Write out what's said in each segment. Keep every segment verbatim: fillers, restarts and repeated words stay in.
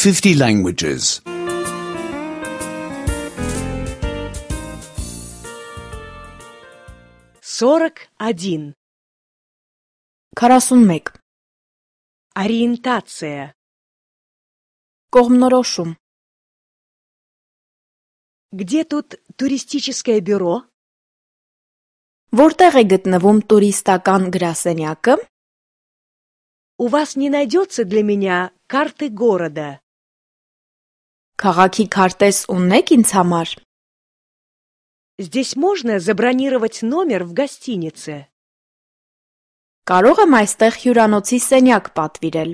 fifty languages. сорок один. քառասունմեկ. Ориентация. Կողմնորոշում. Где тут туристическое бюро? Որտեղ է գտնվում տուրիստական գրասենյակը? У вас не найдется для меня карты города? Քաղաքի քարտեզ ունեք ինձ համար? Здесь можно забронировать номер в гостинице? Կարող եմ այստեղ հյուրանոցի սենյակ պատվիրել?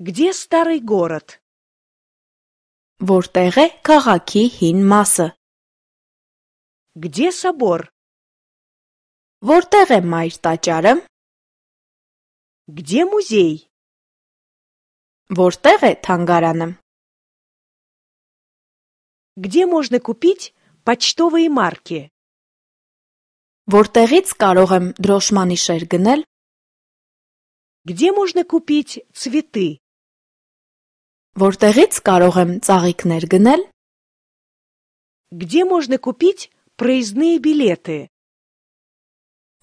Где старый город? Որտեղ է քաղաքի հին մասը? Где собор? Որտեղ է մայր տաճարը? Где музей? Որտեղ է թանգարանը? Где можно купить почтовые марки? Որտեղից կարող եմ դրոշմանիշեր գնել? Где можно купить цветы? Որտեղից կարող եմ ծաղիկներ գնել? Где можно купить проездные билеты?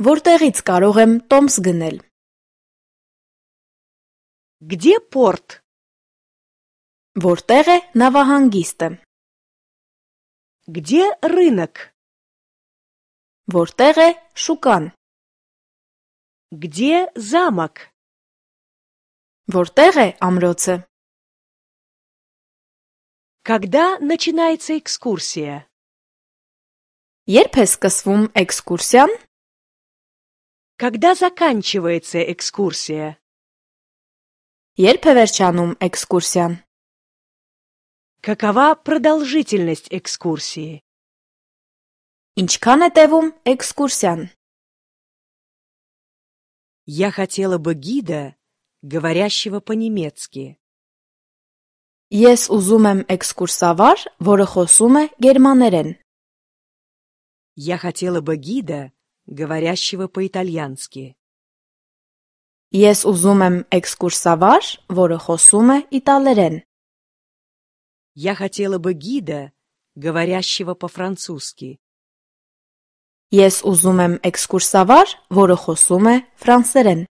Որտեղից կարող եմ տոմս գնել? Где порт? Որտեղ է նավահանգիստը? Где рынок? Որտեղ է շուկան? Где замок? Որտեղ է ամրոցը? Когда начинается экскурсия? Երբ է սկսվում էքսկուրսիան? Когда заканчивается экскурсия? Երբ է վերջանում էքսկուրսիան? Какова продолжительность экскурсии? Ինչքան է տևում էքսկուրսիան? Я хотела бы гида, говорящего по-немецки. Ես ուզում եմ էքսկուրսավար, որը խոսում է գերմաներեն. Я хотела бы гида, говорящего по-итальянски. Ես ուզում եմ էքսկուրսավար, որը խոսում է իտալերեն. Я хотела бы гида, говорящего по-французски. Ես ուզում եմ էքսկուրսավար, որը խոսում է ֆրանսերեն.